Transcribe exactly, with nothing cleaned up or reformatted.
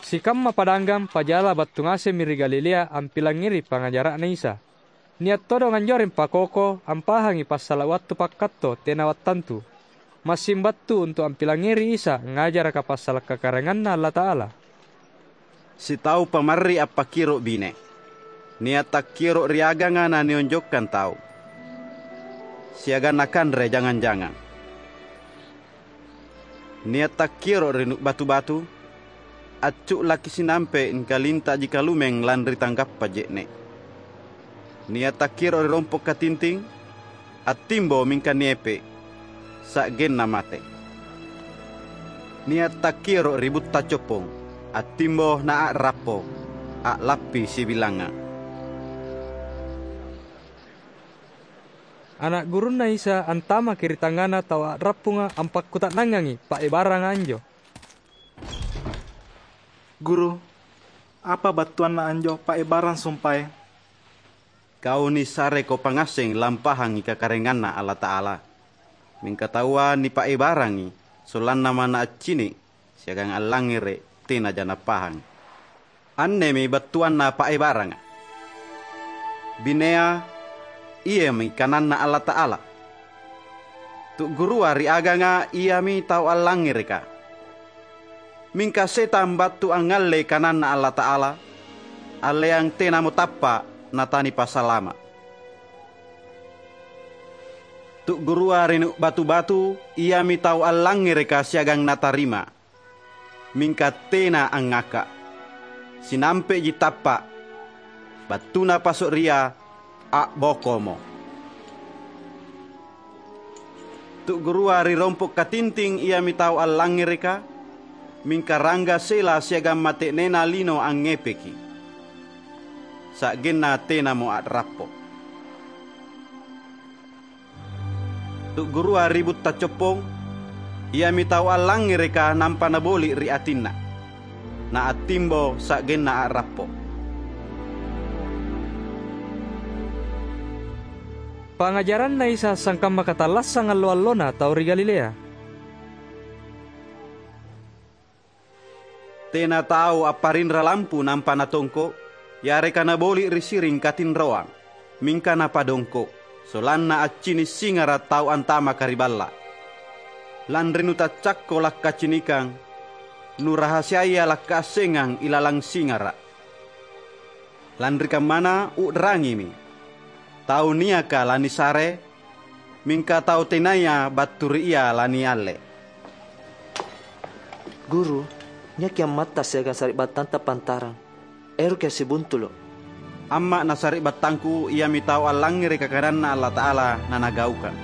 Sikamma padanggang pajala battu ngasemmi ri Galilea ampilangngeri pangngajara'Na Isa. Nia' todong anjoreng pakoko ampahangi passala' wattu pakkatto tena wattantu. Massing battu untu' ampilangngeri Isa ngajaraka passala' kakaraenganNa Allata'ala. Sitau pamarri appakioro' bine. Nia' takkioro' ri aganga nanionjokkang tau, siagang nakanre jangang-jangang. Nia' takkioro' ri nu'-, batu-batu, accu'laki sinampe' nikalintaji kalumeng lanri tanggappa je'ne'. Nia' takkioro' ri rompo' katinting, attimbo mingka niepe', sa'genna mate. Nia' takkioro' ri butta coppong, attimbo na a'rappo, a'lappi sibilanga. Ana' gurunNa Isa antamaki ri tangngana tau a'rappunga ampakkuta'nangangi paebaranga anjo. "Guru, apa battuanna anjo paebarang sumpae?" "Kau nisareko pangngasseng lampahangi kakaraenganNa Allata'ala. Mingka taua nipaebarangi, sollanna manna accini' siagang allangngere' tenaja nappahang. Annemi battuanna paebaranga: Binea, iami kananNa Allata'ala. Tu'gurua ri aganga iami tau allangngereka. Mingka setang battu angngallei kananNa Allata'ala, alleang tenamo tappa' natanipasalama'. Tu'gurua ri nu'-, batu-batu iami tau allangngereka siagang natarima, mingka tena angngaka'. Sinampe'ji tappa', battuna paso'ria, a'bokomo. Tu'gurua ri rompo' katinting iami tau allangngereka, mingka rangga sela siagang mate'nena lino angngepeki, sa'genna tenamo a'rappo'. Tu'gurua ri butta coppong, iami tau allangngereka nampa naboli' ri atinna, naattimbo sa'genna a'rappo'." Pangngajaranna Isa sangkamma katallassang allo-allona tau ri Galilea. Tena tau apparinra lampu nampa natongko', yareka naboli' ri siring katinroang, mingka napadongko', sollanna accini' singara' tau antamaka ri balla'. Lanri nutaccakko lakkacinikang, nurahasiaya lakkaassengang ilalang singara'. Lanri kammana u'rangimi, tau niaka lanisare, mingka tau tenaya battu ri ia lanialle. "Guru, niaki ammatta siagang sari'battanta pantarang. Eroki assibuntulo'." "Amma' na sari'battangku iami tau allangngereka kananNa Allata'ala nanagaukang.